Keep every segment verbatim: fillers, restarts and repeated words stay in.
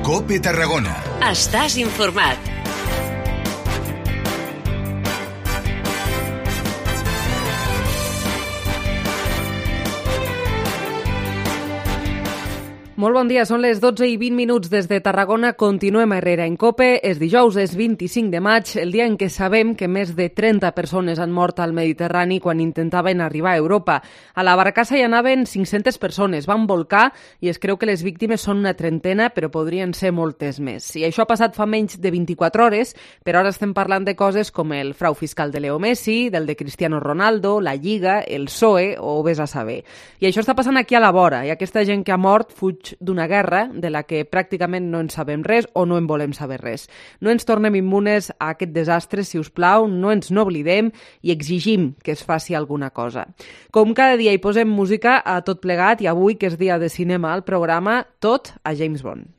COPE Tarragona. Estàs informat. Molt bon dia, són les dotze i vint minuts des de Tarragona. Continuem a Herrera en COPE. És dijous, és vint-i-cinc de maig, el dia en què sabem que més de trenta persones han mort al Mediterrani quan intentaven arribar a Europa. A la barcassa hi anaven cinc-centes persones, van volcar i es creu que les víctimes són una trentena, però podrien ser moltes més. I això ha passat fa menys de vint-i-quatre hores, però ara estem parlant de coses com el frau fiscal de Leo Messi, del de Cristiano Ronaldo, la Lliga, el P S O E o vés a saber. I això està passant aquí a la vora, i aquesta gent que ha mort fuig d'una guerra de la que pràcticament no en sabem res o no en volem saber res. No ens tornem immunes a aquest desastre, si us plau, no ens n'oblidem i exigim que es faci alguna cosa. Com cada dia hi posem música a tot plegat i avui, que és dia de cinema al programa, tot a James Bond.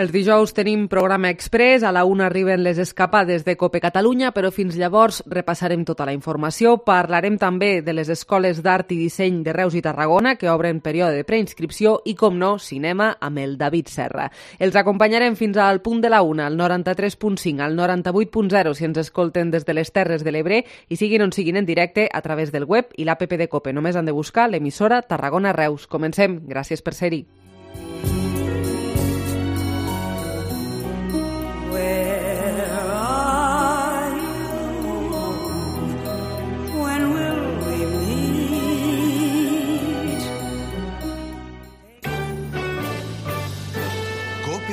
Els dijous tenim programa express, a la una arriben les escapades de COPE Catalunya, però fins llavors repassarem tota la informació. Parlarem també de les escoles d'art i disseny de Reus i Tarragona, que obren període de preinscripció, i, com no, cinema amb el David Serra. Els acompanyarem fins al punt de la una, al noranta-tres punt cinc, al noranta-vuit punt zero, si ens escolten des de les Terres de l'Ebre, i siguin on siguin en directe a través del web i l'app de COPE. Només han de buscar l'emissora Tarragona Reus. Comencem. Gràcies per ser-hi.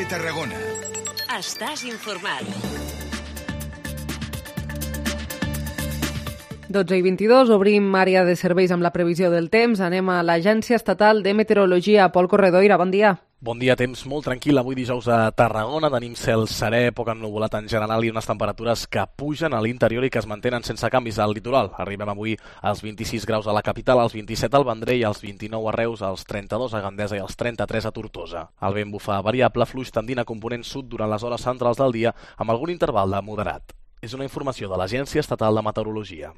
Tarragona. Estàs informat. dotze i vint-i-dos, obrim àrea de serveis amb la previsió del temps. Anem a l'Agència Estatal de Meteorologia. Pol Corredoira, bon dia. Bon dia, temps molt tranquil. Avui dijous a Tarragona tenim cel serè, poc ennuvolat en general i unes temperatures que pugen a l'interior i que es mantenen sense canvis al litoral. Arribem avui als vint-i-sis graus a la capital, als vint-i-set al Vendrell, als vint-i-nou a Reus, als trenta-dos a Gandesa i als trenta-tres a Tortosa. El vent bufa variable, fluix tendint a component sud durant les hores centrals del dia amb algun interval de moderat. És una informació de l'Agència Estatal de Meteorologia.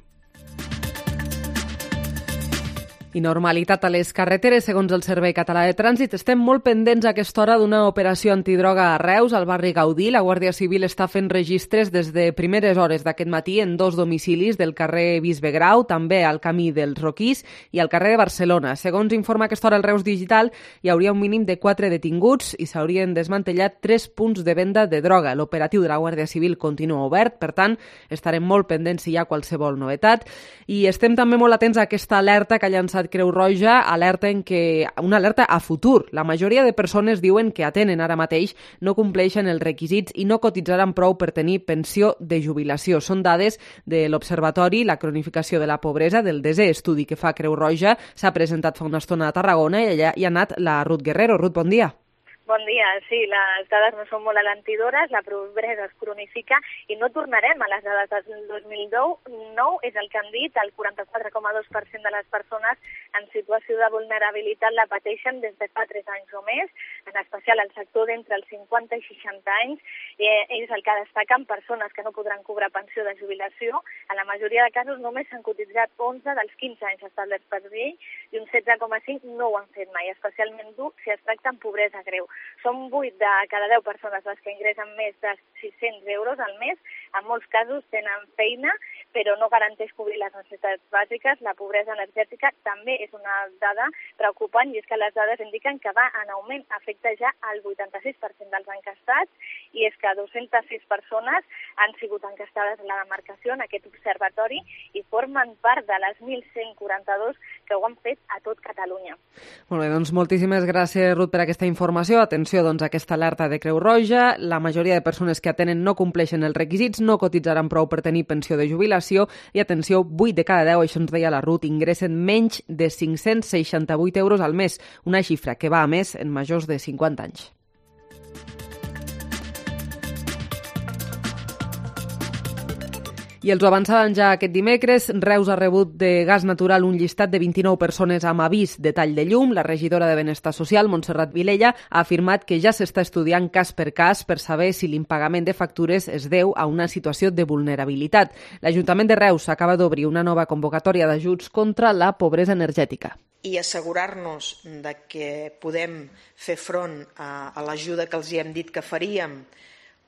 I normalitat a les carreteres, segons el Servei Català de Trànsit. Estem molt pendents a aquesta hora d'una operació antidroga a Reus, al barri Gaudí. La Guàrdia Civil està fent registres des de primeres hores d'aquest matí en dos domicilis del carrer Bisbe Grau, també al camí dels Roquís i al carrer de Barcelona. Segons informa a aquesta hora el Reus Digital, hi hauria un mínim de quatre detinguts i s'haurien desmantellat tres punts de venda de droga. L'operatiu de la Guàrdia Civil continua obert, per tant, estarem molt pendents si hi ha qualsevol novetat. I estem també molt atents a aquesta alerta que ha llançat Creu Roja, alerta en què, una alerta a futur. La majoria de persones diuen que atenen ara mateix no compleixen els requisits i no cotitzaran prou per tenir pensió de jubilació. Són dades de l'Observatori, la cronificació de la pobresa, del desè estudi que fa Creu Roja. S'ha presentat fa una estona a Tarragona i allà hi ha anat la Ruth Guerrero. Ruth, bon dia. Bon dia. Sí, les dades no són molt alentidores, la pobresa es cronifica i no tornarem a les dades del dos mil nou, és el que han dit, el quaranta-quatre coma dos per cent de les persones en situació de vulnerabilitat la pateixen des de fa tres anys o més, en especial el sector d'entre els cinquanta i seixanta anys, eh, és el que destaquen persones que no podran cobrar pensió de jubilació. En la majoria de casos només s'han cotitzat onze dels quinze anys establerts per llei i un setze coma cinc no ho han fet mai, especialment dur si es tracta en pobresa greu. Són vuit de cada deu persones les que ingressen més de sis-cents euros al mes. En molts casos tenen feina, però no garanteix cobrir les necessitats bàsiques. La pobresa energètica també és una dada preocupant i és que les dades indiquen que va en augment, afecta ja el vuitanta-sis per cent dels encastats i és que dues-centes sis persones han sigut encastades en la demarcació en aquest observatori i formen part de les mil cent quaranta-dos que ho han fet a tot Catalunya. Molt bé, doncs moltíssimes gràcies, Ruth, per aquesta informació. Atenció doncs, a aquesta alerta de Creu Roja. La majoria de persones que atenen no compleixen els requisits, no cotitzaran prou per tenir pensió de jubilació i, atenció, vuit de cada deu, això ens deia la Ruth, ingressen menys de cinc-cents seixanta-vuit euros al mes, una xifra que va a més en majors de cinquanta anys. I els ho avançaven ja aquest dimecres, Reus ha rebut de gas natural un llistat de vint-i-nou persones amb avís de tall de llum. La regidora de Benestar Social, Montserrat Vilella, ha afirmat que ja s'està estudiant cas per cas per saber si l'impagament de factures es deu a una situació de vulnerabilitat. L'Ajuntament de Reus acaba d'obrir una nova convocatòria d'ajuts contra la pobresa energètica. I assegurar-nos de que podem fer front a, a l'ajuda que els hi hem dit que faríem,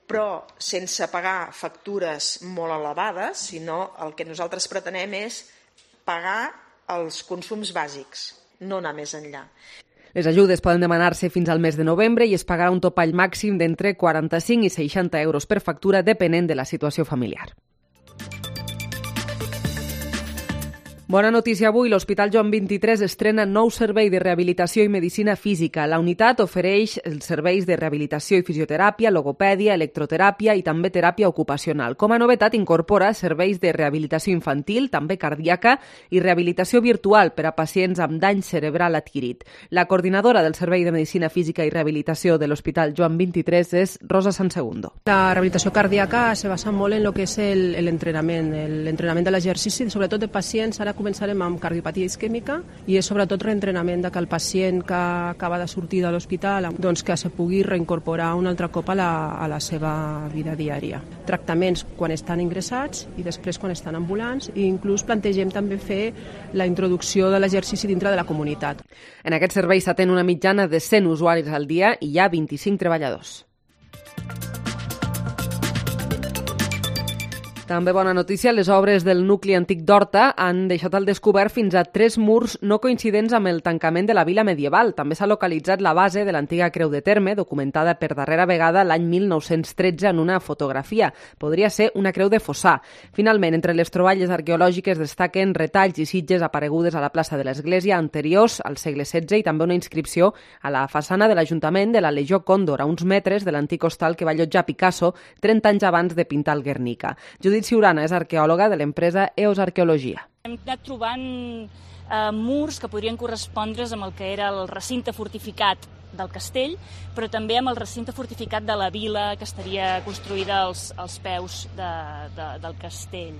però sense pagar factures molt elevades, sinó el que nosaltres pretenem és pagar els consums bàsics, no anar més enllà. Les ajudes poden demanar-se fins al mes de novembre i es pagarà un topall màxim d'entre quaranta-cinc i seixanta euros per factura, depenent de la situació familiar. Bona notícia avui, l'Hospital Joan vint-i-tres estrena nou servei de rehabilitació i medicina física. La unitat ofereix els serveis de rehabilitació i fisioteràpia, logopèdia, electroteràpia i també teràpia ocupacional. Com a novetat, incorpora serveis de rehabilitació infantil, també cardíaca, i rehabilitació virtual per a pacients amb dany cerebral adquirit. La coordinadora del Servei de Medicina Física i Rehabilitació de l'Hospital Joan vint-i-tres és Rosa Sansegundo. La rehabilitació cardíaca se basa molt en el que és l'entrenament, l'entrenament de l'exercici, sobretot de pacients. Ara començarem amb cardiopatia isquèmica i és sobretot reentrenament de que el pacient que acaba de sortir de l'hospital doncs que se pugui reincorporar un altre cop a la, a la seva vida diària. Tractaments quan estan ingressats i després quan estan ambulants, i inclús plantegem també fer la introducció de l'exercici dintre de la comunitat. En aquest servei s'atén una mitjana de cent usuaris al dia i hi ha vint-i-cinc treballadors. També bona notícia, les obres del nucli antic d'Horta han deixat al descobert fins a tres murs no coincidents amb el tancament de la vila medieval. També s'ha localitzat la base de l'antiga creu de terme, documentada per darrera vegada l'any mil nou-cents tretze en una fotografia. Podria ser una creu de fossar. Finalment, entre les troballes arqueològiques destaquen retalls i sitges aparegudes a la plaça de l'església anteriors al segle setze i també una inscripció a la façana de l'Ajuntament de la Legió Còndor, a uns metres de l'antic hostal que va allotjar Picasso trenta anys abans de pintar el Guernica. Judit Ciurana és arqueòloga de l'empresa E O S Arqueologia. Hem anat trobant eh, murs que podrien correspondre's amb el que era el recinte fortificat del castell, però també amb el recinte fortificat de la vila que estaria construïda als, als peus de, de, del castell.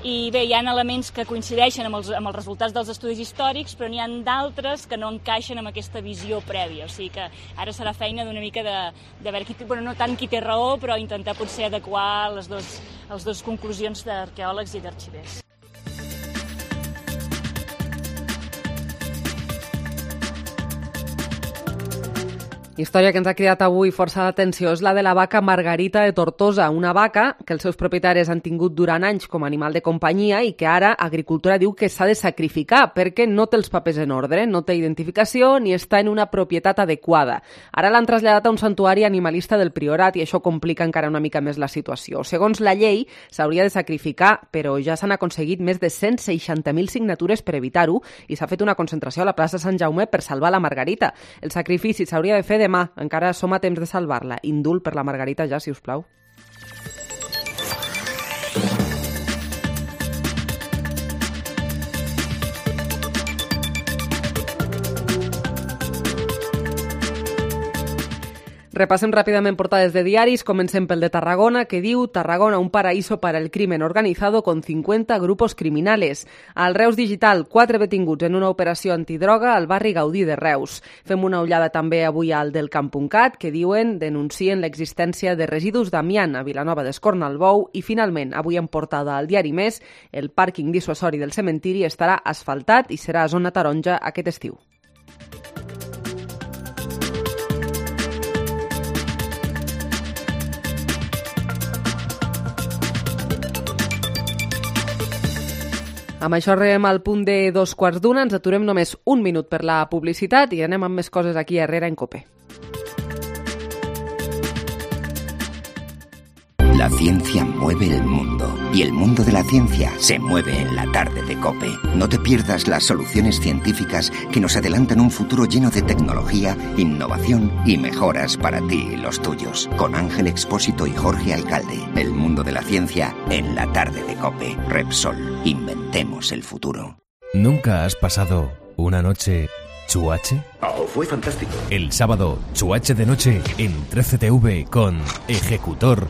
I bé, hi ha elements que coincideixen amb els, amb els resultats dels estudis històrics, però n'hi ha d'altres que no encaixen amb aquesta visió prèvia. O sigui que ara serà feina d'una mica de, de veure qui té, bueno, no tant qui té raó, però intentar potser adequar les dues, les dues conclusions d'arqueòlegs i d'arxivers. Història que ens ha cridat avui força d'atenció és la de la vaca Margarita de Tortosa, una vaca que els seus propietaris han tingut durant anys com a animal de companyia i que ara Agricultura diu que s'ha de sacrificar perquè no té els papers en ordre, no té identificació ni està en una propietat adequada. Ara l'han traslladat a un santuari animalista del Priorat i això complica encara una mica més la situació. Segons la llei, s'hauria de sacrificar, però ja s'han aconseguit més de cent seixanta mil signatures per evitar-ho i s'ha fet una concentració a la plaça Sant Jaume per salvar la Margarita. El sacrifici s'hauria de fer demà, encara som a temps de salvar-la. Indult per la Margarita ja, si us plau. Repassem ràpidament portades de diaris. Comencem pel de Tarragona, que diu Tarragona, un paraíso para el crimen organizado con cincuenta grupos criminales. Al Reus Digital, quatre detinguts en una operació antidroga al barri Gaudí de Reus. Fem una ullada també avui al del Camp punt cat, que diuen denuncien l'existència de residus d'amiant a Vilanova d'Escornalbou. I finalment, avui en portada al diari Més, el pàrquing dissuasori del cementiri estarà asfaltat i serà zona taronja aquest estiu. Amb això arribem al punt de dos quarts d'una, ens aturem només un minut per la publicitat i anem amb més coses aquí a Herrera en COPE. La ciencia mueve el mundo y el mundo de la ciencia se mueve en la tarde de COPE. No te pierdas las soluciones científicas que nos adelantan un futuro lleno de tecnología, innovación y mejoras para ti y los tuyos. Con Ángel Expósito y Jorge Alcalde. El mundo de la ciencia en la tarde de COPE. Repsol. Inventemos el futuro. ¿Nunca has pasado una noche chuache? Oh, fue fantástico. El sábado, chuache de noche en trece T V con Ejecutor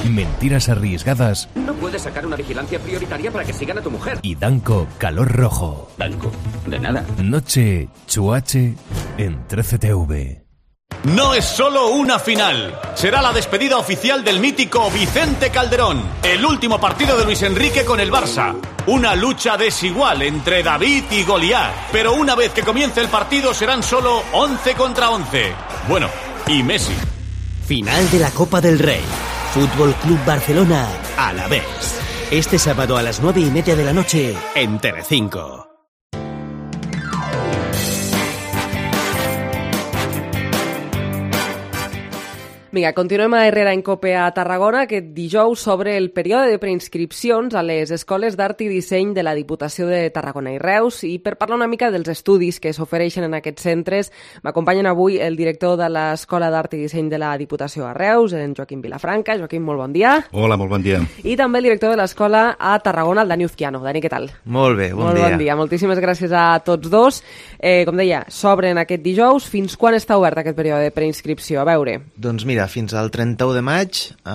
Mentiras arriesgadas. No puedes sacar una vigilancia prioritaria para que sigan a tu mujer. Y Danco, calor rojo. Danco, de nada. Noche Chuache en trece T V. No es solo una final. Será la despedida oficial del mítico Vicente Calderón. El último partido de Luis Enrique con el Barça. Una lucha desigual entre David y Goliat. Pero una vez que comience el partido serán solo once contra once. Bueno, y Messi. Final de la Copa del Rey. Fútbol Club Barcelona, Alavés. Este sábado a las nueve y media de la noche en Telecinco. Vinga, continuem a Herrera en Cope a Tarragona. Aquest dijous sobre el període de preinscripcions a les escoles d'art i disseny de la Diputació de Tarragona i Reus, i per parlar una mica dels estudis que s'ofereixen en aquests centres m'acompanyen avui el director de l'Escola d'Art i Disseny de la Diputació a Reus, en Joaquim Vilafranca. Joaquim, molt bon dia. Hola, molt bon dia. I també el director de l'Escola a Tarragona, el Dani Uzquiano. Dani, què tal? Molt bé, bon molt dia. Bon dia. Moltíssimes gràcies a tots dos. Eh, com deia, s'obren aquest dijous. Fins quan està obert aquest període de preinscripció? A veure. Doncs mira, fins al trenta-u de maig eh,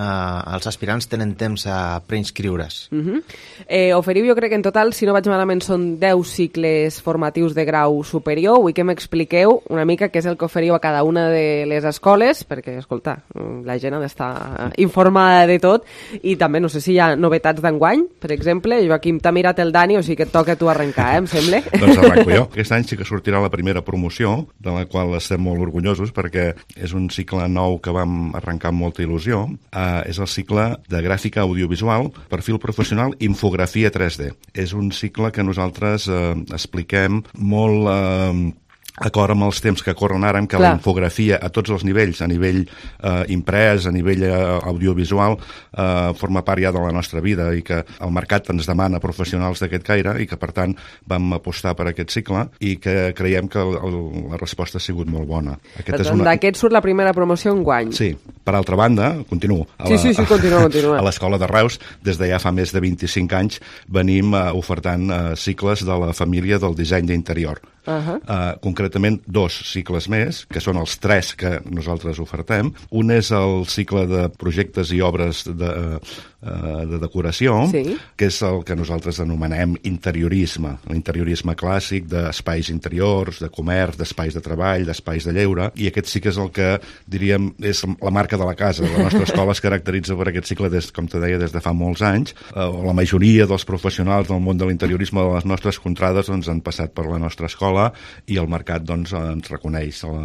els aspirants tenen temps a preinscriure's. Uh-huh. eh, oferiu, jo crec que en total, si no vaig malament, són deu cicles formatius de grau superior. Vull que m'expliqueu una mica què és el que oferiu a cada una de les escoles, perquè, escolta, la gent ha d'estar informada de tot, i també no sé si hi ha novetats d'enguany, per exemple. Joaquim, t'ha mirat el Dani, o sigui que et toca a tu arrencar, eh, em sembla. Doncs arranco jo. Aquest any sí que sortirà la primera promoció, de la qual estem molt orgullosos, perquè és un cicle nou que vam arrencar amb molta il·lusió. Uh, és el cicle de gràfica audiovisual, perfil professional, infografia tres D. És un cicle que nosaltres uh, expliquem molt... Uh, acord amb els temps que corren ara, amb que Clar. La infografia a tots els nivells, a nivell eh, imprès, a nivell eh, audiovisual, eh, forma part ja de la nostra vida, i que el mercat ens demana professionals d'aquest caire, i que per tant vam apostar per aquest cicle, i que creiem que el, el, la resposta ha sigut molt bona. Aquest és una... D'aquest surt la primera promoció enguany. Sí. Per altra banda, continuo. A la, sí, sí, sí, continua, continua. A l'Escola de Reus, des de ja fa més de vint-i-cinc anys, venim eh, ofertant eh, cicles de la família del disseny d'interior. Uh-huh. Uh, concretament dos cicles més, que són els tres que nosaltres ofertem. Un és el cicle de projectes i obres de, uh, de decoració, sí. que és el que nosaltres anomenem interiorisme, l'interiorisme clàssic d'espais interiors, de comerç, d'espais de treball, d'espais de lleure, i aquest sí que és el que, diríem, és la marca de la casa. La nostra escola es caracteritza per aquest cicle, des, com te deia, des de fa molts anys. Uh, la majoria dels professionals del món de l'interiorisme de les nostres contrades doncs, han passat per la nostra escola, i el mercat doncs, ens reconeix el,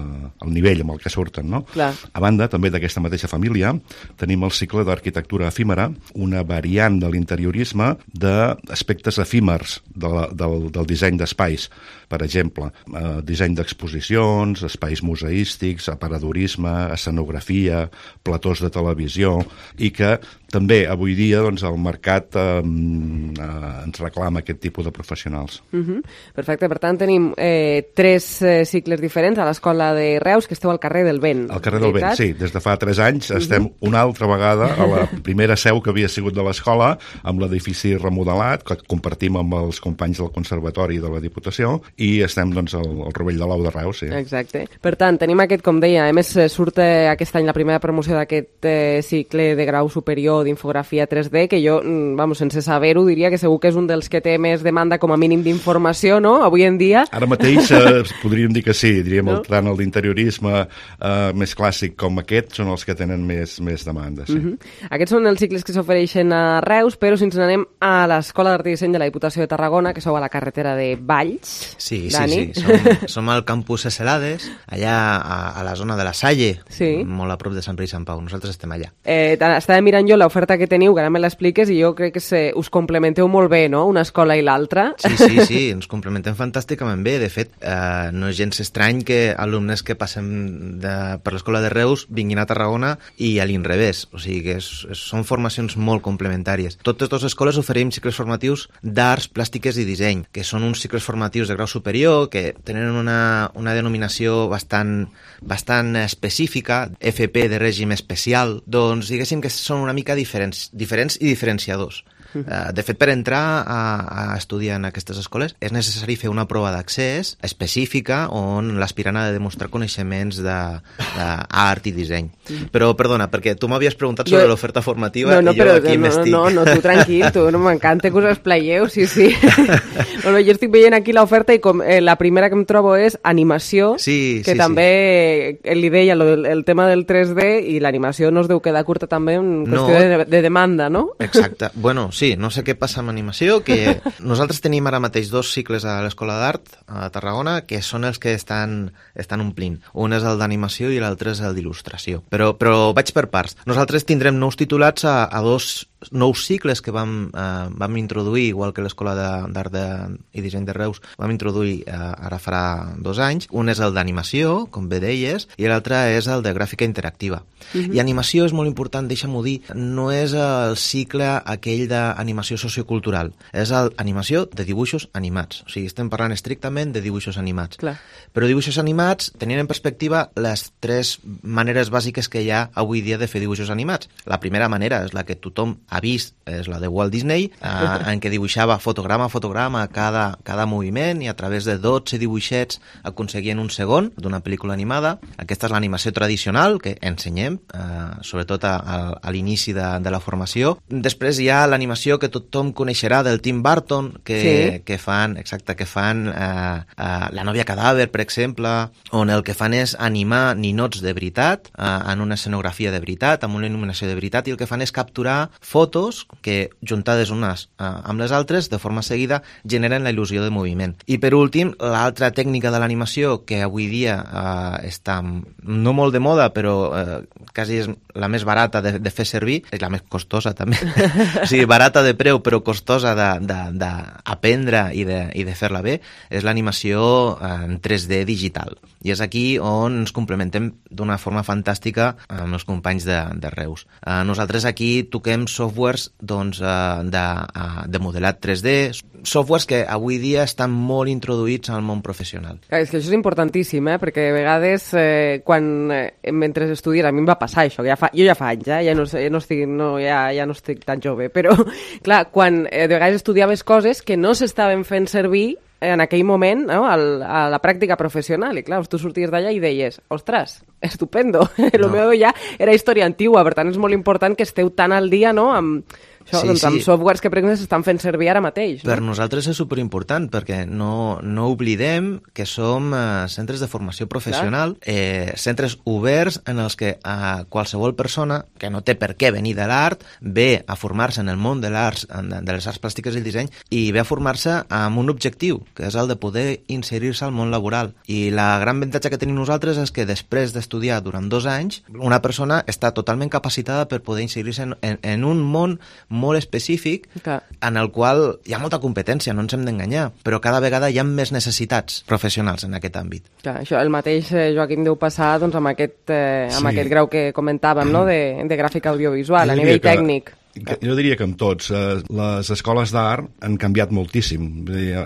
el nivell amb el que surten. No? Clar. A banda, també d'aquesta mateixa família, tenim el cicle d'arquitectura efímera, una variant de l'interiorisme d'aspectes efímers de la, del, del disseny d'espais. Per exemple, eh, disseny d'exposicions, espais museístics, aparadorisme, escenografia, platós de televisió, i que també avui dia doncs, el mercat eh, eh, ens reclama aquest tipus de professionals. Uh-huh. Perfecte, per tant tenim eh, tres eh, cicles diferents a l'Escola de Reus, que esteu al carrer del Vent. Al carrer del Vent, sí. Des de fa tres anys estem uh-huh. una altra vegada a la primera seu que havia sigut de l'escola, amb l'edifici remodelat, que compartim amb els companys del Conservatori de la Diputació, i estem doncs, al, al Rovell de l'Ou de Reus. Sí. Exacte. Per tant, tenim aquest, com deia, a més surt eh, aquest any la primera promoció d'aquest eh, cicle de grau superior d'infografia tres D, que jo, vamos, sense saber-ho, diria que segur que és un dels que té més demanda com a mínim d'informació, no?, avui en dia. Ara mateix eh, podríem dir que sí, diríem no? el, tant el d'interiorisme eh, més clàssic com aquest són els que tenen més, més demanda. Sí. Uh-huh. Aquests són els cicles que s'ofereixen a Reus, però si ens anem a l'Escola d'Art i Disseny de la Diputació de Tarragona, que sou a la carretera de Valls. Sí, sí, Dani. sí. Som, som al campus Escelades, allà a, a la zona de la Salle, sí. molt a prop de Sant Pere i Sant Pau. Nosaltres estem allà. Eh, estava mirant jo l'oferta que teniu, que ara me l'expliques, i jo crec que se, us complementeu molt bé, no?, una escola i l'altra. Sí, sí, sí, ens complementem fantàsticament bé. De fet, eh, no és gens estrany que alumnes que passem de, per l'Escola de Reus vinguin a Tarragona i a l'inrevés. O sigui que és, és, són formacions molt complementàries. Totes dues escoles oferim cicles formatius d'arts, plàstiques i disseny, que són uns cicles formatius de grau superior que tenen una, una denominació bastant, bastant específica, F P de règim especial. Doncs diguéssim que són una mica diferents, diferents i diferenciadors. Uh, de fet, per entrar a, a estudiar en aquestes escoles és necessari fer una prova d'accés específica on l'aspirant ha de demostrar coneixements d'art i disseny. Mm. Però, perdona, perquè tu m'havies preguntat sobre jo... l'oferta formativa no, no, i jo però, aquí no, m'estic... No, no, tu tranquil, tu, no m'encanta que us espleieu, sí, sí. Bueno, jo estic veient aquí l'oferta i com eh, la primera que em trobo és animació, sí, que sí, també sí. li deia lo, el tema del tres D i l'animació no es deu quedar curta també en qüestió no. de, de demanda, no? Exacte. Bueno, sí, no sé què passa amb animació, que nosaltres tenim ara mateix dos cicles a l'Escola d'Art a Tarragona que són els que estan, estan omplint. Un és el d'animació i l'altre és el d'il·lustració. Però, però vaig per parts. Nosaltres tindrem nous titulats a, a dos nous cicles que vam, eh, vam introduir, igual que l'Escola d'Art i Disseny de Reus, vam introduir eh, ara farà dos anys. Un és el d'animació, com bé deies, i l'altre és el de gràfica interactiva. Uh-huh. I animació és molt important, deixa'm-ho dir, no és el cicle aquell d'animació sociocultural, és l'animació de dibuixos animats. O sigui, estem parlant estrictament de dibuixos animats. Clar. Però dibuixos animats tenint en perspectiva les tres maneres bàsiques que hi ha avui dia de fer dibuixos animats. La primera manera és la que tothom ha vist, és la de Walt Disney, eh, en què dibuixava fotograma a fotograma cada, cada moviment i a través de dotze dibuixets aconseguien un segon d'una pel·lícula animada. Aquesta és l'animació tradicional que ensenyem, eh, sobretot a, a, a l'inici de, de la formació. Després hi ha l'animació que tothom coneixerà del Tim Burton, que, sí. que fan, exacte, que fan eh, eh, La nòvia cadàver, per exemple, on el que fan és animar ninots de veritat, eh, en una escenografia de veritat, amb una il·luminació de veritat, i el que fan és capturar fotos que, juntades unes eh, amb les altres, de forma seguida, generen la il·lusió de moviment. I per últim, l'altra tècnica de l'animació que avui dia eh, està no molt de moda, però eh, quasi és la més barata de, de fer servir, és la més costosa també, o sigui, barata de preu però costosa d'aprendre i de, i de fer-la bé, és l'animació en tres D digital. I és aquí on ens complementem d'una forma fantàstica amb els companys de, de Reus. Eh, nosaltres aquí toquem softwares doncs, eh, de, de modelat tres D, softwares que avui dia estan molt introduïts al món professional. És que això és importantíssim, eh? Perquè a vegades eh, quan eh, mentre estudies, a mi em va passar això, ja fa, jo ja fa anys, eh? ja, no, ja, no estic, no, ja, ja no estic tan jove, però clar, quan eh, de vegades estudiaves coses que no s'estaven fent servir en aquell moment, no? Al, a la pràctica professional, i clar, tu sorties d'allà i deies, ostres, estupendo, el no. meu ja era història antigua, per tant és molt important que esteu tan al dia, no?, amb això, sí, doncs, sí. amb softwares que per exemple s'estan fent servir ara mateix. No? Per nosaltres és superimportant, perquè no, no oblidem que som eh, centres de formació professional, eh, centres oberts en els que eh, qualsevol persona que no té per què venir de l'art ve a formar-se en el món de l'art, de les arts plàstiques i el disseny, i ve a formar-se amb un objectiu, que és el de poder inserir-se al món laboral. I la gran avantatge que tenim nosaltres és que després d'estudiar durant dos anys, una persona està totalment capacitada per poder inserir-se en, en, en un món molt específic, Clar. en el qual hi ha molta competència, no ens hem d'enganyar, però cada vegada hi ha més necessitats professionals en aquest àmbit. Clar, això el mateix, eh, Joaquim, deu passar doncs, amb, aquest, eh, amb sí. aquest grau que comentàvem, no? de, de gràfica audiovisual, a nivell que... tècnic. Jo diria que amb tots. Eh, les escoles d'art han canviat moltíssim. Dir, eh,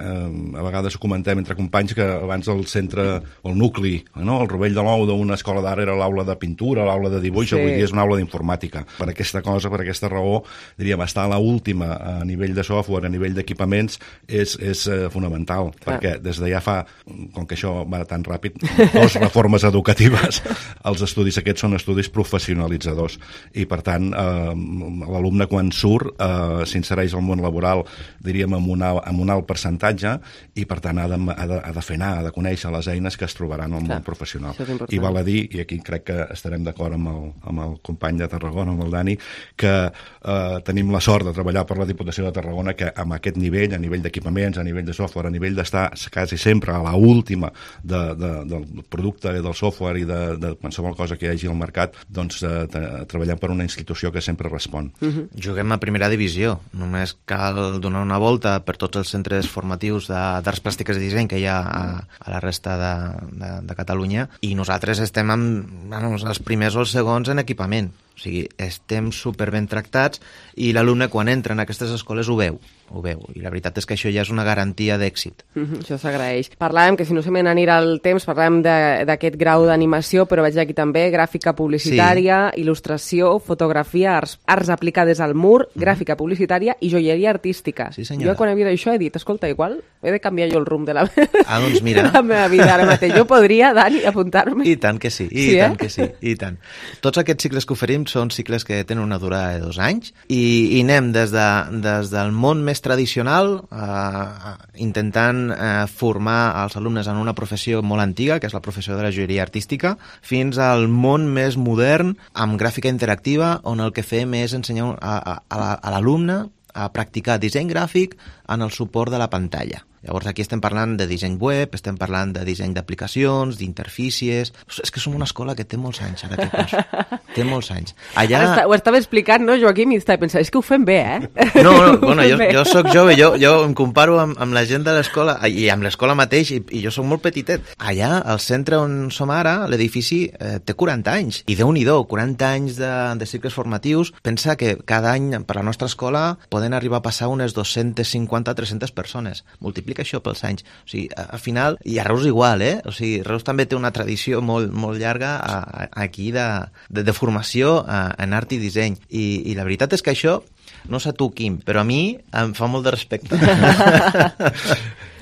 a vegades ho comentem entre companys que abans el centre, el nucli, no? el rovell de l'ou d'una escola d'art era l'aula de pintura, l'aula de dibuix, sí. avui dia és una aula d'informàtica. Per aquesta cosa, per aquesta raó, diríem, estar a l'última a nivell de software, a nivell d'equipaments, és, és eh, fonamental, Clar. perquè des de ja fa, com que això va tan ràpid, dos reformes educatives, els estudis aquests són estudis professionalitzadors, i per tant, eh, l'alumne quan surt eh, s'insereix al món laboral, diríem, amb, una, amb un alt percentatge, i per tant ha de, ha, de, ha de fer anar, ha de conèixer les eines que es trobaran al Clar, món professional. I val a dir, i aquí crec que estarem d'acord amb, el, amb el company de Tarragona, amb el Dani, que eh, tenim la sort de treballar per la Diputació de Tarragona, que amb aquest nivell, a nivell d'equipaments, a nivell de software, a nivell d'estar quasi sempre a la última de, de, del producte, del software i de, de qualsevol cosa que hi hagi al mercat, doncs eh, treballar per una institució que sempre respon. Uh-huh. Juguem a primera divisió, només cal donar una volta per tots els centres formatius d'arts plàstiques i disseny que hi ha a, a la resta de, de, de Catalunya, i nosaltres estem amb, bueno, els primers o els segons en equipament. O sigui, estem super ben tractats, i l'alumne quan entra en aquestes escoles ho veu. ho veu. I la veritat és que això ja és una garantia d'èxit. Mm-hmm, això s'agraeix. Parlàvem, que si no se me n'anirà el temps, parlàvem d'aquest grau d'animació, però veig aquí també gràfica publicitària, sí. il·lustració, fotografia, arts, arts aplicades al mur, mm-hmm. gràfica publicitària i joieria artística. Sí, senyora. Jo quan he vist això he dit, escolta, igual he de canviar jo el rumb de la, ah, doncs mira. de la meva vida ara mateix. Jo podria, Dani, apuntar-me. I tant que sí, i sí, tant eh? que sí, i tant. Tots aquests cicles que oferim són cicles que tenen una durada de dos anys i, i anem des, de, des del món més tradicional eh, intentant eh, formar els alumnes en una professió molt antiga, que és la professió de la joieria artística, fins al món més modern amb gràfica interactiva, on el que fem és ensenyar a, a, a l'alumne a practicar disseny gràfic en el suport de la pantalla. Llavors aquí estem parlant de disseny web, estem parlant de disseny d'aplicacions, d'interfícies... És que som una escola que té molts anys, ara que penso. Té molts anys. Allà... Està, ho estava explicant, no, Joaquim? I estava pensant, és que ho fem bé, eh? No, no, bueno, jo, jo soc jove, jo, jo em comparo amb, amb la gent de l'escola, i amb l'escola mateix, i, i jo soc molt petitet. Allà, al centre on som ara, l'edifici eh, té quaranta anys. I Déu-n'hi-do, quaranta anys de, de cicles formatius. Pensa que cada any per la nostra escola poden arribar a passar unes dos-centes cinquanta a tres-centes persones. Multiplica això pels anys. O sigui, al final, i a Reus igual, eh? O sigui, Reus també té una tradició molt, molt llarga a, a, aquí de, de, de formació a, en art i disseny. I, I la veritat és que això, no sé tu, Quim, però a mi em fa molt de respecte.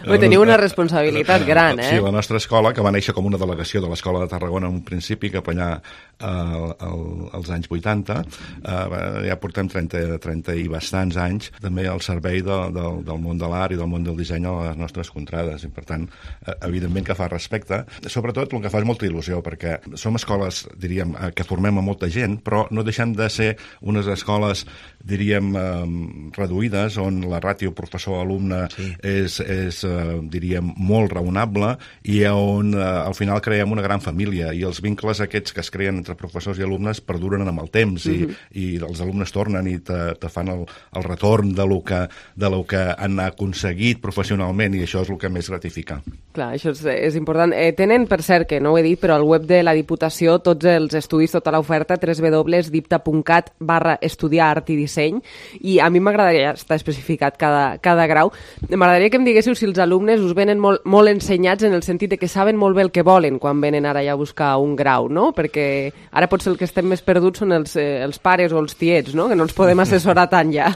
Bé, teniu una responsabilitat gran, eh? Sí, la nostra escola, que va néixer com una delegació de l'Escola de Tarragona en un principi, cap allà eh, el, als anys vuitanta, eh, ja portem trenta, trenta i bastants anys també al servei de, de, del món de l'art i del món del disseny a les nostres contrades, i per tant, eh, evidentment que fa respecte. Sobretot el que fa és molta il·lusió, perquè som escoles, diríem, que formem a molta gent, però no deixem de ser unes escoles, diríem, eh, reduïdes, on la ràtio professor-alumne sí. és, és diríem, molt raonable, i on eh, al final creem una gran família, i els vincles aquests que es creen entre professors i alumnes perduren amb el temps, mm-hmm. i, i els alumnes tornen i te, te fan el, el retorn de lo, que, de lo que han aconseguit professionalment, i això és el que més gratifica. Clar, això és, és important. Eh, tenen, per cert, que no ho he dit, però al web de la Diputació tots els estudis, tota l'oferta, w w w punt dipta punt cat barra estudiar art i disseny, i a mi m'agradaria estar especificat cada, cada grau. M'agradaria que em diguéssiu si els alumnes us venen molt, molt ensenyats en el sentit de que saben molt bé el que volen quan venen ara ja a buscar un grau, no? Perquè ara potser el que estem més perduts són els, eh, els pares o els tiets, no? Que no els podem assessorar tant ja.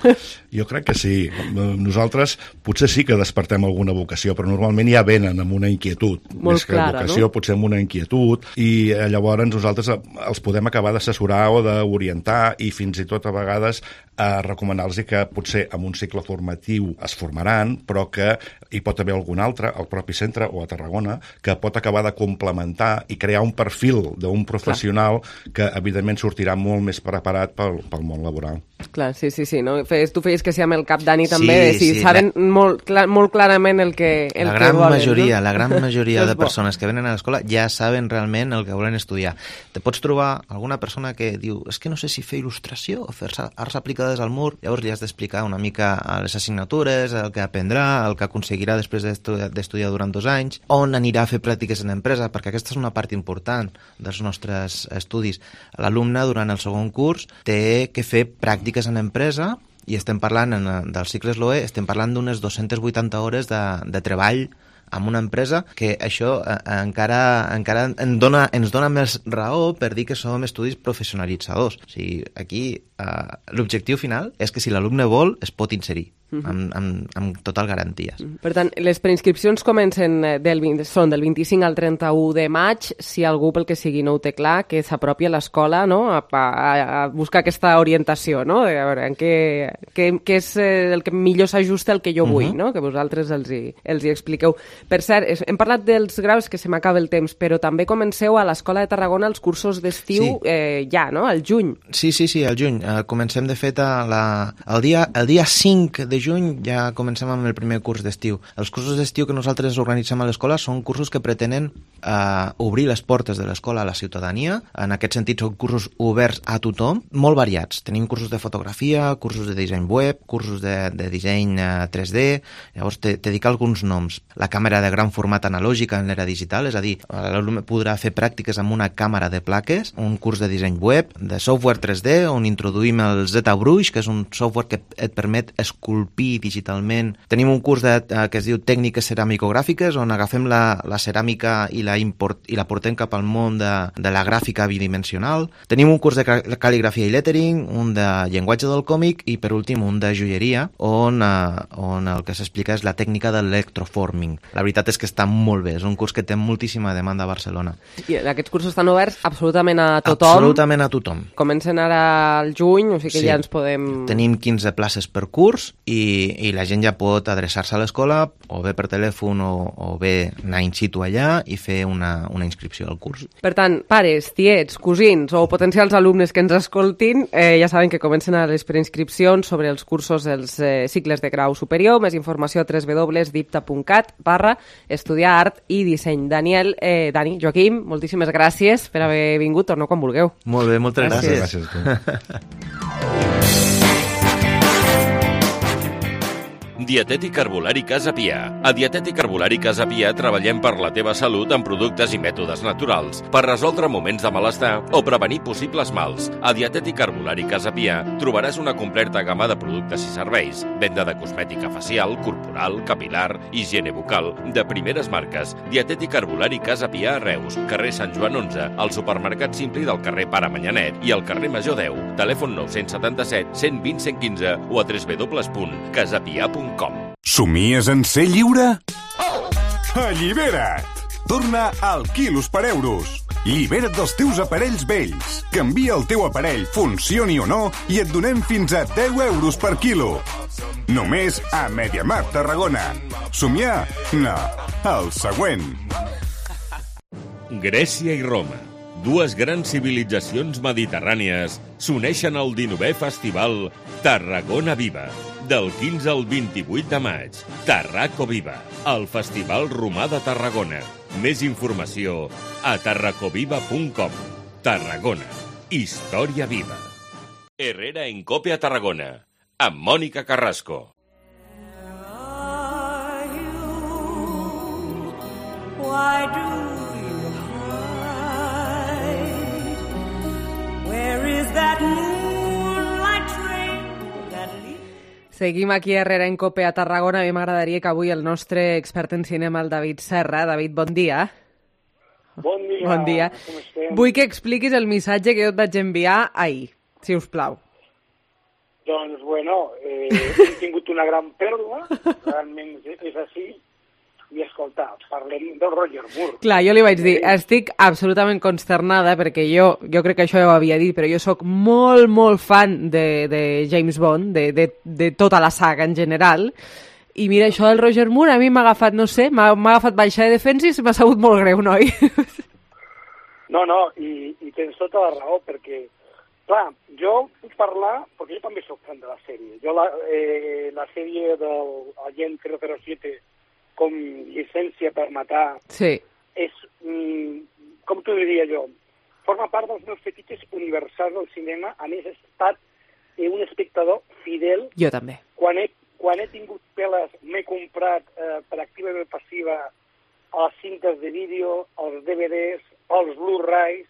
Jo crec que sí. Nosaltres potser sí que despertem alguna vocació, però normalment ja venen amb una inquietud. Molt més que clara, vocació, no? potser amb una inquietud, i eh, llavors nosaltres els podem acabar d'assessorar o d'orientar, i fins i tot a vegades a recomanar-los que potser en un cicle formatiu es formaran, però que hi pot haver algun altre, al propi centre o a Tarragona, que pot acabar de complementar i crear un perfil d'un professional Clar. que evidentment sortirà molt més preparat pel, pel món laboral. Clar, sí, sí, sí. No? Feies, tu feies que sí amb el cap, Dani, també, sí, de si sí, saben la... molt, clar, molt clarament el que, el la que gran volen. Majoria, no? La gran majoria de persones que venen a l'escola ja saben realment el que volen estudiar. Te pots trobar alguna persona que diu és que no sé si fer il·lustració o fer arts aplicades al mur, llavors li has d'explicar una mica les assignatures, el que aprendrà, el que aconseguirà després d'estudiar durant dos anys, on anirà a fer pràctiques en empresa, perquè aquesta és una part important dels nostres estudis. L'alumne, durant el segon curs, té que fer pràctiques en empresa, i estem parlant, en, dels cicles L O E, estem parlant d'unes dues-centes vuitanta hores de, de treball amb una empresa, que això eh, encara, encara en dona, ens dona més raó per dir que som estudis professionalitzadors. O sigui, aquí eh, l'objectiu final és que si l'alumne vol es pot inserir. Uh-huh. amb, amb, amb total garanties. Uh-huh. Per tant, les preinscripcions comencen del vint, són del vint-i-cinc al trenta-u de maig. Si algú, pel que sigui, no ho té clar, que s'apropi a l'escola, no? a, a, a buscar aquesta orientació, no? A veure, en què, què, què és el que millor s'ajusta al que jo vull, uh-huh. no? Que vosaltres els hi, els hi expliqueu. Per cert, hem parlat dels graus, que se m'acaba el temps, però també comenceu a l'Escola de Tarragona els cursos d'estiu sí. eh, ja, no? Al juny. Sí, sí, sí, al juny. Uh, comencem, de fet, a la, el, dia, el dia cinc de juny ja comencem amb el primer curs d'estiu. Els cursos d'estiu que nosaltres organitzem a l'escola són cursos que pretenen eh, obrir les portes de l'escola a la ciutadania. En aquest sentit són cursos oberts a tothom, molt variats. Tenim cursos de fotografia, cursos de disseny web, cursos de, de disseny eh, tres D. Llavors te, te dic alguns noms. La càmera de gran format analògica en l'era digital, és a dir, l'alumne podrà fer pràctiques amb una càmera de plaques, un curs de disseny web, de software tres D, on introduïm el ZBrush, que és un software que et permet esculpir esculpir digitalment. Tenim un curs de, eh, que es diu Tècniques Ceramicogràfiques, on agafem la, la ceràmica i la, import, i la portem cap al món de, de la gràfica bidimensional. Tenim un curs de cal·ligrafia i lettering, un de llenguatge del còmic i, per últim, un de joieria, on, eh, on el que s'explica és la tècnica de l'electroforming. La veritat és que està molt bé, és un curs que té moltíssima demanda a Barcelona. I aquests cursos estan oberts absolutament a tothom? Absolutament a tothom. Comencen ara al juny, o sigui que sí, ja ens podem... Tenim quinze places per curs i, i la gent ja pot adreçar-se a l'escola o bé per telèfon o, o bé anar in situ allà i fer una, una inscripció al curs. Per tant, pares, tiets, cosins o potencials alumnes que ens escoltin, eh, ja saben que comencen a les preinscripcions sobre els cursos dels eh, cicles de grau superior. Més informació a w w w punt dipta punt cat barra estudiar art i disseny. Daniel, eh, Dani, Joaquim, moltíssimes gràcies per haver vingut. Torneu quan vulgueu. Molt bé, moltes gràcies. Gràcies, gràcies. Dietètic Herbolari Casa Pia. A Dietètic Herbolari Casa Pia treballem per la teva salut amb productes i mètodes naturals, per resoldre moments de malestar o prevenir possibles mals. A Dietètic Herbolari Casa Pia trobaràs una completa gamma de productes i serveis, venda de cosmètica facial, corporal, capilar, higiene bucal, de primeres marques. Dietètic Herbolari Casa Pia a Reus, carrer Sant Joan onze, al supermercat Simpli del carrer Pare Manyanet i al carrer Major deu. Telèfon nou set set, cent vint, cent quinze o a w w w punt casapia punt com. Somies en ser lliure? Allibera't! Torna al quilos per euros. Libera't dels teus aparells vells. Canvia el teu aparell, funcioni o no, i et donem fins a deu euros per quilo. Només a MediaMarkt Tarragona. Somiar? No. El següent. Grècia i Roma, dues grans civilitzacions mediterrànies, s'uneixen al dinovè festival Tarragona Viva. Del quinze al vint-i-vuit de maig, Tarraco Viva, el Festival Romà de Tarragona. Més informació a tarracoviva punt com. Tarragona, història viva. Herrera en Cope a Tarragona, amb Mònica Carrasco. Why do you hide? Where is that moonlight train that leads? Seguim aquí a Herrera en Cope a Tarragona. A mi m'agradaria que avui el nostre expert en cinema, el David Serra. David, bon dia. Bon dia. Bon dia. Com estem? Vull que expliquis el missatge que jo et vaig enviar ahir, si us plau. Doncs, bueno, eh, hem tingut una gran pèrdua, realment és així, i escolta, parlem del Roger Moore. Clar, jo li vaig dir, estic absolutament consternada, perquè jo, jo crec que això ja ho havia dit, però jo sóc molt, molt fan de, de James Bond, de, de, de tota la saga en general, i mira, això del Roger Moore a mi m'ha agafat, no sé, m'ha agafat baixa de defensa i m'ha sabut molt greu, noi? No, no, i, i tens tota la raó, perquè, clar, jo puc parlar, perquè jo també soc fan de la sèrie. Jo la, eh, la sèrie del Agent zero zero siete com llicència per matar, sí. És, mm, com t'ho diria jo, forma part dels meus fetitxes universals del cinema. A més, he estat eh, un espectador fidel. Jo també. Quan he, quan he tingut peles, m'he comprat eh, per activa i passiva a les cintes de vídeo, als D V Ds, als Blu-rays.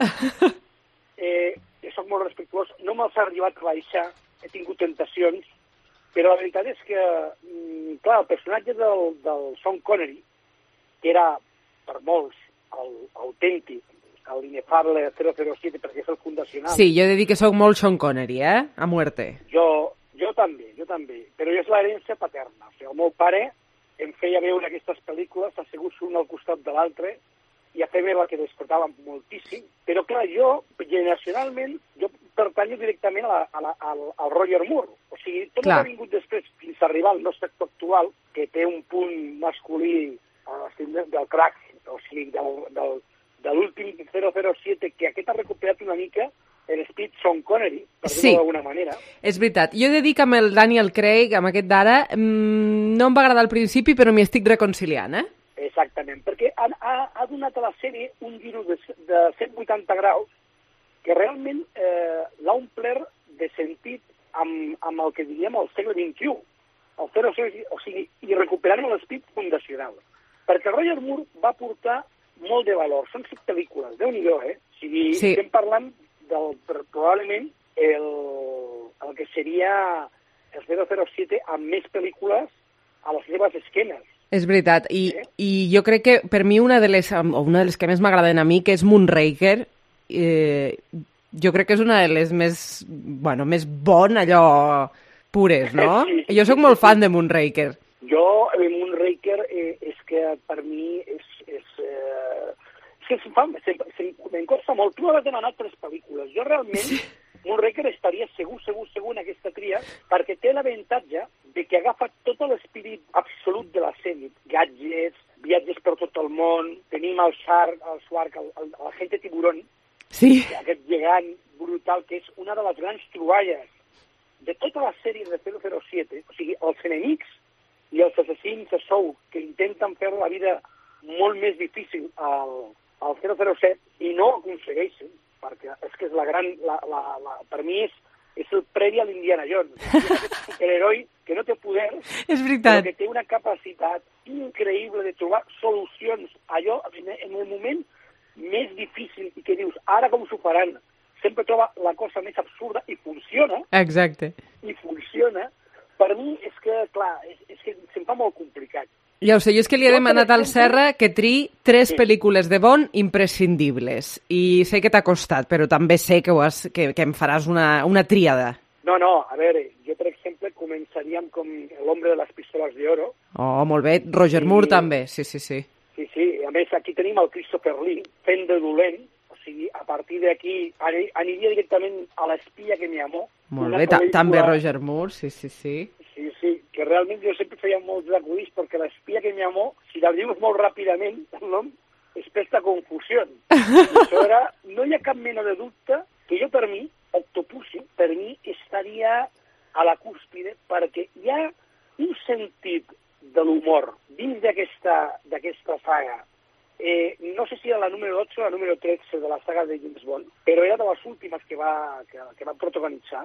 eh, soc molt respectuós. No me'ls ha arribat a baixar, he tingut tentacions, però la veritat és que, clar, el personatge del, del Sean Connery, que era, per molts, el autèntic, l'inefable zero zero siete, perquè és el fundacional. Sí, jo he de dir que soc molt Sean Connery, eh? A muerte. Jo, jo també, jo també. Però és l'herència paterna. O sigui, el meu pare em feia veure aquestes pel·lícules asseguts un al costat de l'altre i a fer-me la que despertava moltíssim. Però, clar, jo, generacionalment, jo pertanyo directament a la, a la, al, al Roger Moore. O sigui, tot el que ha vingut després fins a arribar al nostre actor actual, que té un punt masculí a l'estil del crack, o sigui, del, del, de l'últim zero zero siete, que aquest ha recuperat una mica l'esperit Sean Connery, per dir-ho sí. d'alguna manera. És veritat. Jo he de dir que amb el Daniel Craig, amb aquest d'ara, mmm, no em va agradar al principi, però m'hi estic reconciliant, eh? Exactament, perquè ha, ha, ha donat a la sèrie un giro de, de cent vuitanta graus que realment eh, l'ha omplert de sentit amb, amb el que diríem el segle vint-i-u, el zero, o sigui, i recuperant l'esperit fundacional. Perquè Roger Moore va portar molt de valor. Són cinc pel·lícules, Déu-n'hi-do, eh? O sigui, sí. Estem parlant del, probablement el, el que seria el zero zero siete amb més pel·lícules a les seves esquenes. És veritat, i, Eh? i jo crec que per mi una de les, o una de les que més m'agraden a mi, que és Moonraker, eh, jo crec que és una de les més, bueno, més bon, allò, pures, no? Sí, sí, Jo sóc sí, molt sí. fan de Moonraker. Jo, el Moonraker, eh, és que per mi és... és eh, és que se'm fa, se, se, me'n costa molt. Tu m'has demanat tres pel·lícules. Jo realment, sí. Moonraker estaria segur, segur, segur en aquesta tria, perquè té l'avantatge de que agafa tot l'espírit absolut de la sèrie. Gadgets, viatges per tot el món, tenim el Shark, el Shark, el, el, el Agente Tiburón, sí. aquest gegant brutal, que és una de les grans troballes de tota la sèrie de zero zero siete, o sigui, els enemics i els assassins a sou que intenten fer la vida molt més difícil al, al zero zero set i no ho aconsegueixen, perquè és que és la gran... La, la, la, per mi és, és el previ a l'Indiana Jones. És aquest superheroi que no té poder, És veritat. però que té una capacitat increïble de trobar solucions allò en el moment més difícil i que dius, ara com s'ho faran? Sempre troba la cosa més absurda i funciona, Exacte. i funciona. Per mi és que, clar, és, és que se'm fa molt complicat. Ja ho sé, jo és que li he Jo, per demanat al exemple- Serra que triï tres Sí. pel·lícules de Bond imprescindibles. I sé que t'ha costat, però també sé que, ho has, que, que em faràs una, una tríada. No, no, a veure, jo, per exemple, començaríem com l'hombre de les pistoles de oro. Oh, molt bé. Roger I- Moore també, sí, sí, sí. Sí, sí, a més aquí tenim el Christopher Lee fent de dolent, o sigui, a partir d'aquí ani- aniria directament a l'espia que me amó. Molt Una bé, Ta- pel·lícula- també Roger Moore, sí, sí, sí. Sí, sí, que realment jo sempre feia molts acudits perquè l'espia que me amó, si la dius molt ràpidament, el nom és Pesta Confusió. I això era, no hi ha cap mena de dubte que jo per mi, Octopussy, per mi estaria a la cúspide perquè hi ha un sentit de l'humor dins d'aquesta d'aquesta saga. Eh, no sé si era la número dotze o la número tretze de la saga de James Bond, però era de les últimes que va, que, que va protagonitzar.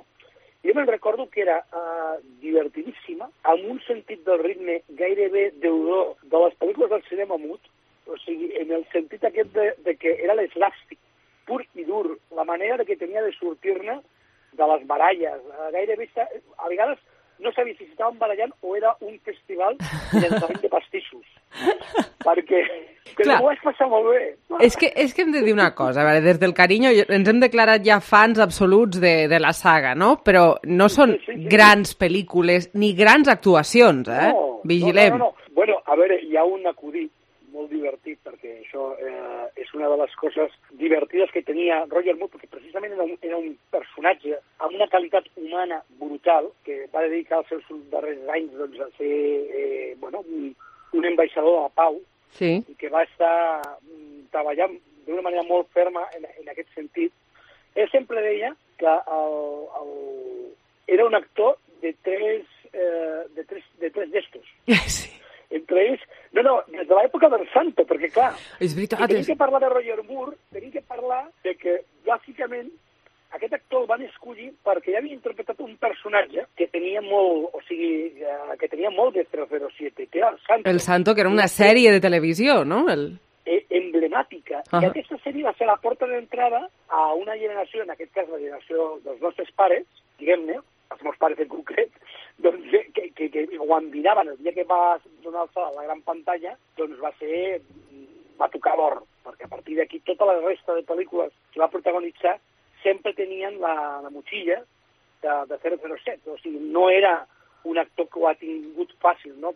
Jo me'n recordo que era uh, divertidíssima, amb un sentit del ritme gairebé deudor de les pel·lícules del cinema mut, o sigui, en el sentit aquest de, de que era l'eslàstic, pur i dur, la manera de que tenia de sortir-ne de les baralles. Uh, gairebé, esta- a vegades, no sabia si estaven barallant o era un festival de llançament de pastissos. Perquè, perquè Clar. ho vaig passar molt bé. És que, és que hem de dir una cosa, a veure, des del carinyo ens hem declarat ja fans absoluts de, de la saga, no? Però no són Sí, sí, sí. grans pel·lícules ni grans actuacions, eh? No, Vigilem. No, no, no. Bueno, a veure, hi ha un acudit molt divertit, perquè això eh, és una de les coses divertides que tenia Roger Moore, perquè precisament era un, era un personatge amb una qualitat humana brutal, que va dedicar els seus darrers anys doncs, a ser eh, bueno, un, un ambaixador de la pau, Sí. i que va estar mm, treballant d'una manera molt ferma en, en aquest sentit. Ell sempre deia que el, el, era un actor de tres, eh, de tres, de tres gestos. Sí. Entre ells, no, no, des de l'època del Santo, perquè clar, És si veritat. tenim És... que parlar de Roger Moore, tenim que parlar de que, bàsicament, aquest actor el van escollir perquè ja havia interpretat un personatge que tenia molt, o sigui, eh, que tenia molt de zero zero siete, que era el Santo. El Santo, que era una sèrie de televisió, no? El... eh, emblemàtica. Ahà. I aquesta sèrie va ser la porta d'entrada a una generació, en aquest cas la generació dels nostres pares, diguem-ne, els meus pares en concret, doncs, que, que, que ho enviraven el dia que va donar-se a la gran pantalla, doncs va ser, va tocar l'or, perquè a partir d'aquí tota la resta de pel·lícules que va protagonitzar sempre tenien la, la motxilla de, de zero zero set, o sigui, no era un actor que ho ha tingut fàcil, no?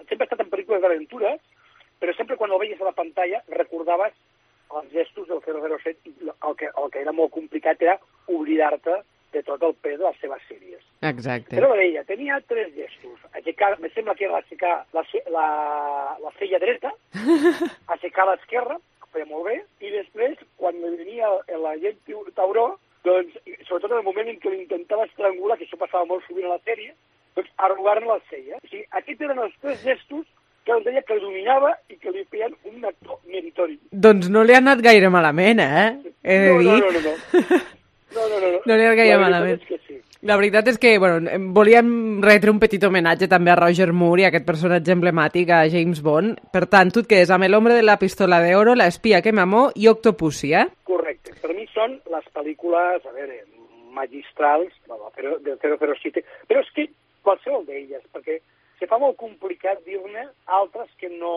Sempre ha estat en pel·lícules d'aventures, però sempre quan el veies a la pantalla recordaves els gestos del zero zero set i el que, el que era molt complicat era oblidar-te de tot el pes de les seves sèries. Exacte. Però deia, tenia tres gestos. Aixecar, me sembla que era aixecar la, ce- la, la cella dreta, aixecar l'esquerra, que feia molt bé, i després, quan venia la gent tauró, doncs, sobretot en el moment en què l'intentava estrangular, que això passava molt sovint a la sèrie, doncs arrugar-ne la cella. O sigui, aquests eren els tres gestos que em deia que dominava i que li feien un actor meritori. Doncs no li ha anat gaire malament, eh? He de No, dir. no, no, no, no. No, no, no, no. No li ha anat gaire La veritat malament. és que sí. La veritat és que, bueno, em- volíem retre un petit homenatge també a Roger Moore i a aquest personatge emblemàtic, a James Bond. Per tant, tu et quedes amb El hombre de la pistola de oro, La espia que m'amó i Octopussy, eh? Correcte. Per mi són les pel·lícules, a veure, magistrals de la zero- del zero zero siete. Però és que qualsevol d'elles, perquè se fa molt complicat dir-ne altres que no...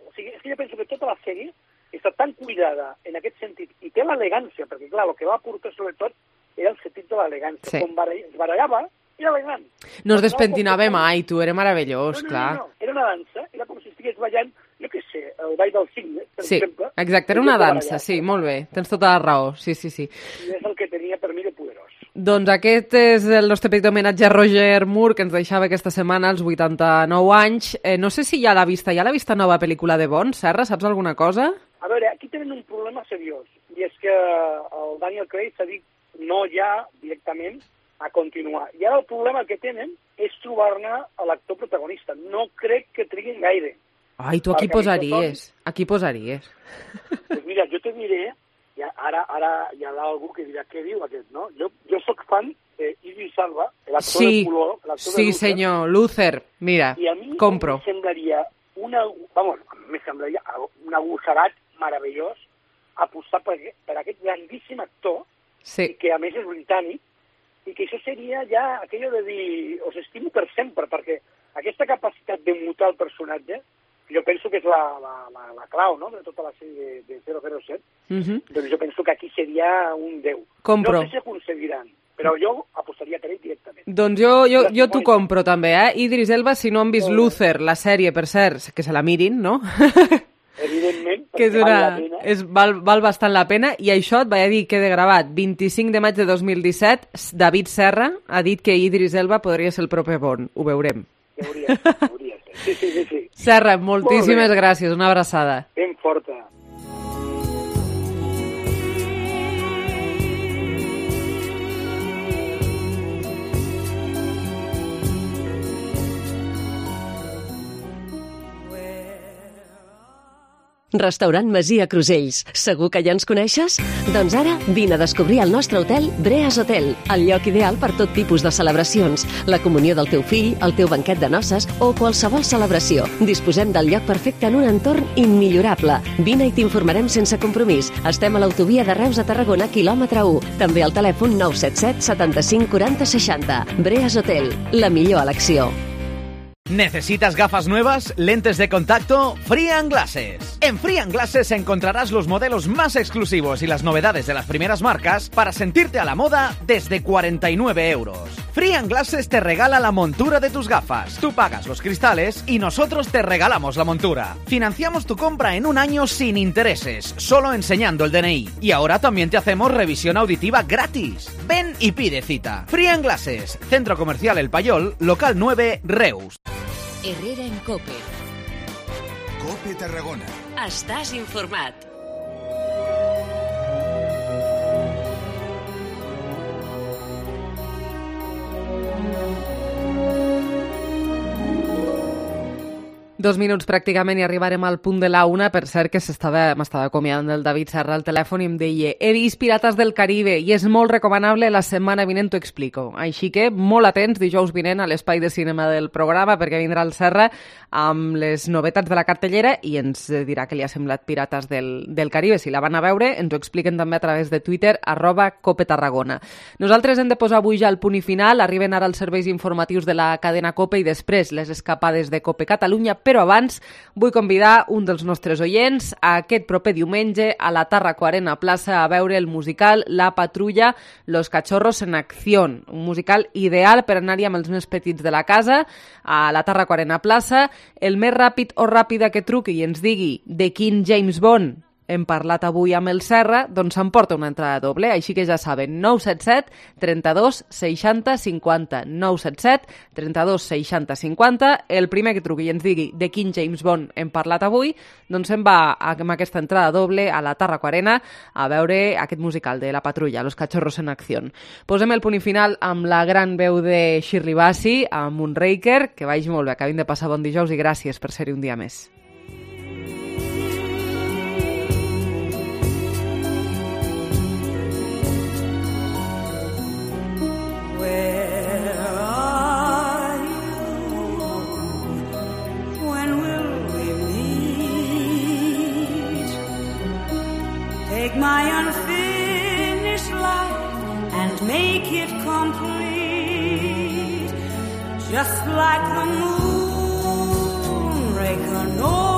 O sigui, és que jo penso que tota la sèrie està tan cuidada en aquest sentit, i té l'elegància, perquè clar, el que va aportar sobretot era el sentit de l'elegància. Sí. Com es barallava, era elegant. No es despentinava mai, tu, era meravellós, no, no, clar. No, no, era una dansa, era com si estigués ballant, jo què sé, el ball del cigne, per sí, exemple. Exacte, era una dansa, sí, molt bé, tens tota la raó, sí, sí, sí. I és el que tenia per mi de poderós. Doncs aquest és el nostre petit homenatge a Roger Moore, que ens deixava aquesta setmana als vuitanta-nou anys. Eh, no sé si ja l'ha vista, ja l'ha vista nova pel·lícula de Bond, Serra, saps alguna cosa? A veure, aquí tenen un problema seriós, i és que el Daniel Craig s'ha dit no ja directament a continuar. I ara el problema que tenen és trobar-ne l'actor protagonista. No crec que triguin gaire. Ai, tu aquí posaries, aquí posaries. Pues mira, jo te diré, ja, ara, ara hi ha algú que dirà què diu aquest, no? Jo, jo sóc fan d'Idris Elba, l'actor sí, de color, l'actor sí, de Luther. senyor, Luther, mira, I a mi compro. em semblaria una, vamos, me semblaria un agosserat meravellós apostar per, per aquest grandíssim actor, sí. i que a més és britànic, i que això seria ja aquello de dir, os estimo per sempre, perquè aquesta capacitat de mutar el personatge, jo penso que és la, la, la, la clau, no?, de tota la sèrie de, de zero zero set, Uh-huh. doncs jo penso que aquí seria un déu. Compro. No sé si aconseguiran, però jo apostaria per ell directament. Doncs jo, jo, jo t'ho compro també, eh? Idris Elba, si no han vist Luther, la sèrie, per cert, que se la mirin, no? Evidentment, que és una, una, val la pena. és, val, val bastant la pena, i això et vaig dir que de gravat, vint-i-cinc de maig de dos mil disset, David Serra ha dit que Idris Elba podria ser el proper Bond. Ho veurem. Hauria, hauria ser. Sí, sí, sí, sí. Serra, moltíssimes gràcies, una abraçada. Ben forta. Restaurant Masia Crusells. Segur que ja ens coneixes? Doncs ara vine a descobrir el nostre hotel Breas Hotel, el lloc ideal per tot tipus de celebracions, la comunió del teu fill, el teu banquet de noces o qualsevol celebració. Disposem del lloc perfecte en un entorn immillorable. Vine i t'informarem sense compromís. Estem a l'autovia de Reus a Tarragona, quilòmetre u. També al telèfon nou set set setanta-cinc quaranta seixanta. Breas Hotel, la millor elecció. ¿Necesitas gafas nuevas? ¿Lentes de contacto? Frian Glasses. En Frian Glasses encontrarás los modelos más exclusivos y las novedades de las primeras marcas para sentirte a la moda desde cuarenta y nueve euros. Frian Glasses te regala la montura de tus gafas. Tú pagas los cristales y nosotros te regalamos la montura. Financiamos tu compra en un año sin intereses, solo enseñando el D N I. Y ahora también te hacemos revisión auditiva gratis. Ven y pide cita. Frian Glasses, Centro Comercial El Payol, local nueve, Reus. Herrera en Cope. Cope Tarragona. Estàs informat. Dos minuts pràcticament i arribarem al punt de la una. Per cert, que s'estava m'estava acomiadant del David Serra al telèfon i em deia he vist Pirates del Caribe i és molt recomanable, la setmana vinent t'ho explico. Així que molt atents dijous vinent a l'espai de cinema del programa, perquè vindrà el Serra amb les novetats de la cartellera i ens dirà què li ha semblat Pirates del, del Caribe. Si la van a veure, ens ho expliquen també a través de Twitter, arroba Cope Tarragona. Nosaltres hem de posar avui ja el punt i final. Arriben ara els serveis informatius de la cadena Cope i després les escapades de Cope Catalunya, però abans vull convidar un dels nostres oients a aquest proper diumenge a la Tarraco Arena Plaça a veure el musical La Patrulla, Los Cachorros en Acción, un musical ideal per anar-hi amb els més petits de la casa a la Tarraco Arena Plaça. El més ràpid o ràpida que truqui i ens digui de quin James Bond hem parlat avui amb el Serra, doncs s'emporta una entrada doble, així que ja saben, nou set set, trenta-dos, seixanta, cinquanta, nou set set, trenta-dos, seixanta, cinquanta, el primer que truqui i ens digui de quin James Bond hem parlat avui, doncs se'n va amb aquesta entrada doble a la Tarraco Arena a veure aquest musical de La Patrulla, Los Cachorros en Acción. Posem el punt i final amb la gran veu de Shirley Bassey, amb Moonraker, que vagi molt bé, acabin de passar bon dijous i gràcies per ser-hi un dia més. My unfinished life and make it complete. just like the moon, Reconnoiter.